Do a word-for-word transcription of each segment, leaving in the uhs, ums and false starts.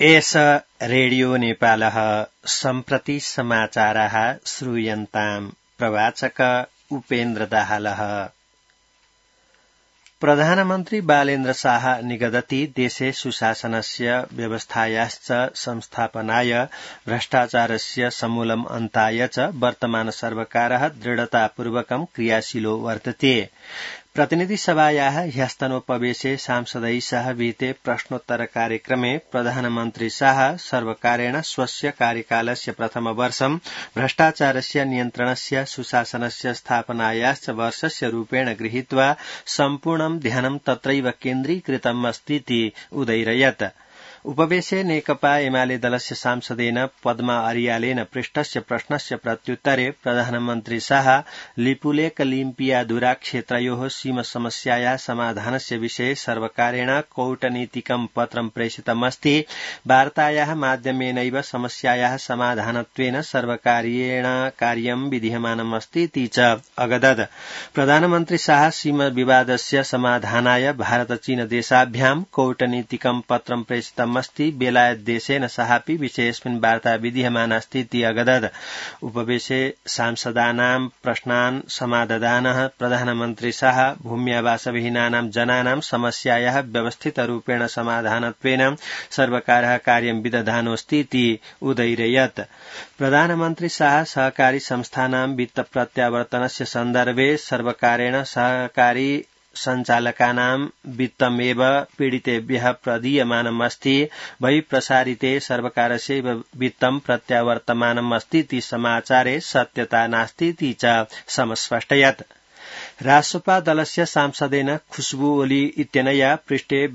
एष रेडियो नेपालः सम्प्रति समाचारः श्रूयन्ताम् प्रवाचक उपेन्द्र दाहालः। प्रधानमन्त्री बालेन्द्र शाह निगदति देशे सुशासनस्य व्यवस्थायाश्च संस्थापनाय भ्रष्टाचारस्य समूलम् अन्ताय च वर्तमान सर्वकारः दृढतापूर्वकं क्रियाशीलो वर्तते। प्रतिनिधि सभायाः ह्यस्तनोपवेशे सांसदैः सह विहिते प्रश्नोत्तर कार्यक्रमे प्रधानमन्त्री शाह सर्वकारेण स्वस्य कार्यकालस्य प्रथमवर्षं भ्रष्टाचारस्य नियन्त्रणस्य सुशासनस्य स्थापनायाश्च वर्षस्य रूपेण गृहीत्वा सम्पूर्णं ध्यानं तत्रैव केन्द्रीकृतम् अस्तीति उदैरयत्। उपवेशे नेकपा एमाले दलस्य सांसदेन पद्मा अर्यालेन पृष्टस्य प्रश्नस्य प्रत्युत्तरे प्रधानमन्त्री शाह लिपुलेक लिम्पियाधुरा क्षेत्रयोः सीम समस्यायाः समाधानस्य विषये सर्वकारेण कौटनीतिकं पत्रं प्रेषितमस्ति। वार्तायाः माध्यमेनैव समस्यायाः समाधानत्वेन सर्वकारेण कार्यं विधीयमानम् अस्ति च अगदत्। प्रधानमन्त्री शाह सीम विवादस्य समाधानाय भारत चीन देशाभ्यां कौटनीतिकं पत्रं प्रेषितम् अस्ति। बेलायत देशेन सहापि विषयेऽस्मिन् वार्ता विधीयमानास्तीति अगदत्। उपवेशे सांसदानां प्रश्नान् समाददानः प्रधानमन्त्री शाह भूम्यावासविहीनानां जनानां समस्यायाः व्यवस्थितरूपेण समाधानत्वेन सर्वकारः कार्यं विदधानोऽस्तीति उदैरयत्। प्रधानमन्त्री शाह सहकारी संस्थानां वित्त प्रत्यावर्तनस्य सन्दर्भे सर्वकारेण सहकारी सञ्चालकानां वित्तमेव पीडितेभ्यः प्रदीयमानम् अस्ति। बहिःप्रसारिते सर्वकारस्यैव वित्तं प्रत्यावर्तमानम् अस्तीति समाचारे सत्यता नास्तीति च समस्पष्टयत्। रासपा दलस्य सांसदेन खुशबू ओली इत्यनया पृष्टे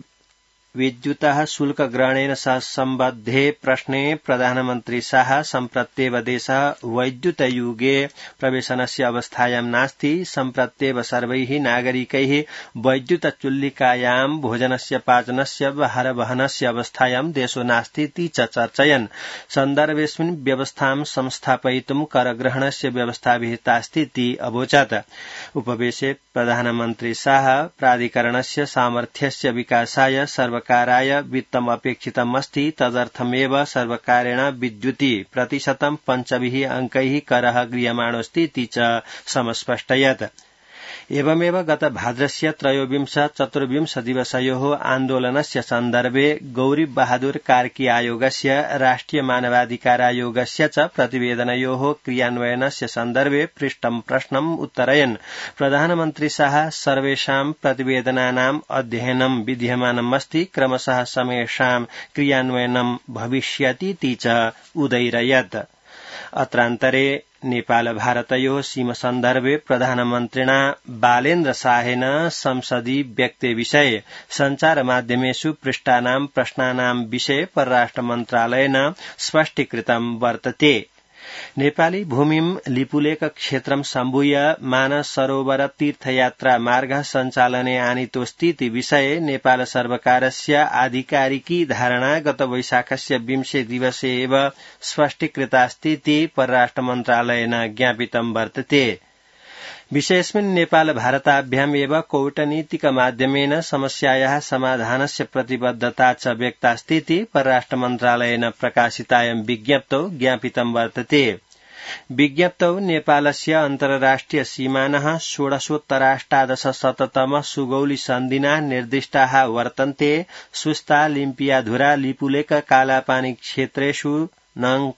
विद्युतः शुल्कग्रहणेन सह सम्बद्धे प्रश्ने प्रधानमन्त्री शाह सम्प्रत्येव देशः वैद्युतयुगे प्रवेशनस्य अवस्थायां नास्ति। सम्प्रत्येव सर्वैः नागरिकैः वैद्युतचुल्लिकायां भोजनस्य पाचनस्य भारवहनस्य अवस्थायां देशो नास्तीति च चर्चयन्। सन्दर्भेऽस्मिन् व्यवस्थां संस्थापयितुं करग्रहणस्य व्यवस्था विहितास्तीति अवोचत्। उपवेशे प्रधानमन्त्री शाह प्राधिकरणस्य सामर्थ्यस्य विकासाय सर्व कार्याय वित्तम् अपेक्षितम् अस्ति। तदर्थमेव सर्वकारेण विद्युति प्रतिशतं पञ्चभिः अंकैः करः गृह्यमाणोऽस्तीति च समस्पष्टयत्। एवमेव गत भाद्रस्य त्रयोविंश चतुर्विंश दिवसयोः आन्दोलनस्य सन्दर्भे गौरी बहादुर कार्की आयोगस्य राष्ट्रिय मानवाधिकारायोगस्य च प्रतिवेदनयोः क्रियान्वयनस्य सन्दर्भे पृष्टं प्रश्नम् उत्तरयन् प्रधानमन्त्री शाह सर्वेषां प्रतिवेदनानाम् अध्ययनं विधीयमानम् अस्ति। क्रमशः समेषां क्रियान्वयनं भविष्यतीति च उदैरयत्। अत्रान्तरे नेपाल भारतयोः सीम सन्दर्भे प्रधानमन्त्रिणा बालेन्द्र शाहेन संसदि व्यक्ते विषये सञ्चार माध्यमेषु पृष्टानां प्रश्नानां विषये परराष्ट्र मन्त्रालयेन स्पष्टीकृतं वर्तते। नेपाली भूमिं लिपुलेक क्षेत्रं सम्भूय मानस सरोवर तीर्थयात्रा मार्गः सञ्चालने आनीतोऽस्तीति विषये नेपाल सर्वकारस्य आधिकारिकी धारणा गत वैशाखस्य विंशे दिवसे एव स्पष्टीकृतास्तीति परराष्ट्र मन्त्रालयेन ज्ञापितं वर्तते। विषयेऽस्मिन् नेपाल भारताभ्याम् एव कौटनीतिक माध्यमेन समस्यायाः समाधानस्य प्रतिबद्धता च व्यक्तास्तीति परराष्ट्र मन्त्रालयेन प्रकाशितायां विज्ञप्तौ ज्ञापितं वर्तते। विज्ञप्तौ नेपालस्य अन्तर्राष्ट्रिय सीमानः षोडशोत्तराष्टादशशततम सुगौली सन्धिना निर्दिष्टाः वर्तन्ते। सुस्ता लिम्पियाधुरा लिपुलेक कालापानी क्षेत्रेषु न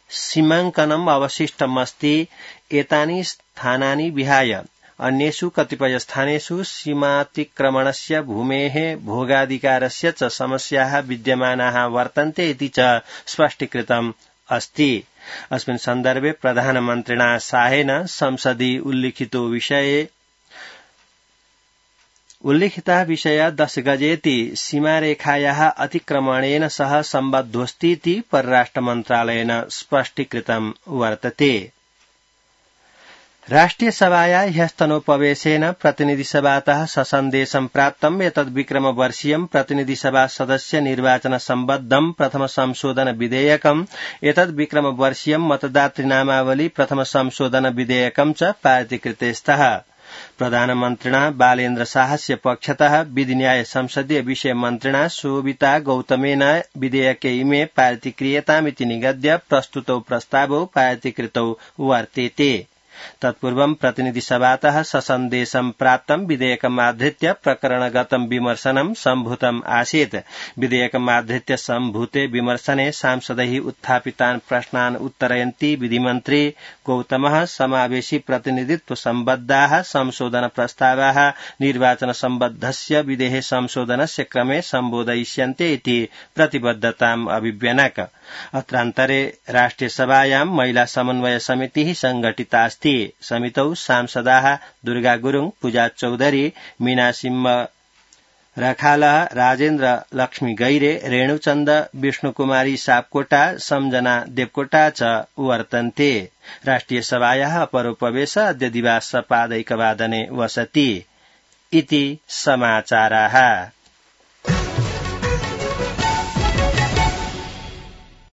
सीमाङ्कनम् अवशिष्टमस्ति। एतानि स्थानानि विहाय अन्येषु कतिपय स्थानेषु सीमातिक्रमणस्य भूमेः भोगाधिकारस्य च समस्याः विद्यमानाः वर्तन्ते इति च स्पष्टीकृतम् अस्ति। अस्मिन् सन्दर्भे प्रधानमन्त्रिणा शाहेन संसदि उल्लिखितो विषये उल्लिखितः विषय दश गजेति सीमारेखायाः अतिक्रमणेन सह सम्बद्धोऽस्तीति परराष्ट्र मन्त्रालयेन स्पष्टीकृतं वर्तते। राष्ट्रिय सभाया ह्यस्तनोपवेशेन प्रतिनिधिसभातः ससन्देशं प्राप्तम्। एतद् विक्रमवर्षीयं प्रतिनिधिसभा सदस्य निर्वाचन सम्बद्धं प्रथम संशोधन विधेयकम्। एतद् विक्रमवर्षीयं मतदातृनामावली प्रथम संशोधन विधेयकं च पारितीकृते स्तः। प्रधानमन्त्रिणा बालेन्द्र शाहस्य पक्षतः विधिन्याय संसदीय विषय मन्त्रिणा शोभिता गौतमेन विधेयके इमे पारितीक्रियतामिति निगद्य प्रस्तुतौ प्रस्तावौ पारितीकृतौ वर्तेते। तत्पूर्वं प्रतिनिधिसभातः ससन्देशं प्राप्तं विधेयकमाधृत्य प्रकरणगतं विमर्शनं सम्भूतम् आसीत्। विधेयकमाधृत्य सम्भूते विमर्शने सांसदैः उत्थापितान् प्रश्नान् उत्तरयन्ती विधिमन्त्री गौतमः समावेशी प्रतिनिधित्व सम्बद्धाः संशोधन प्रस्तावाः निर्वाचन सम्बद्धस्य विधेः संशोधनस्य क्रमे सम्बोधयिष्यन्ते इति प्रतिबद्धताम् अभिव्यनक। अत्रान्तरे राष्ट्रियसभायां महिला समन्वय समितिः संघटितास्ति। समितौ सांसदाः दुर्गा गुरुङ, पूजा चौधरी, मीना सिंह रखालः, राजेन्द्र लक्ष्मी गैरे, रेणुचन्द, विष्णुकुमारी सापकोटा, सम्जना देवकोटा च वर्तन्ते। राष्ट्रियसभायाः अपरोपवेश अद्य दिवा सपादैकवादने वसति इति समाचाराः।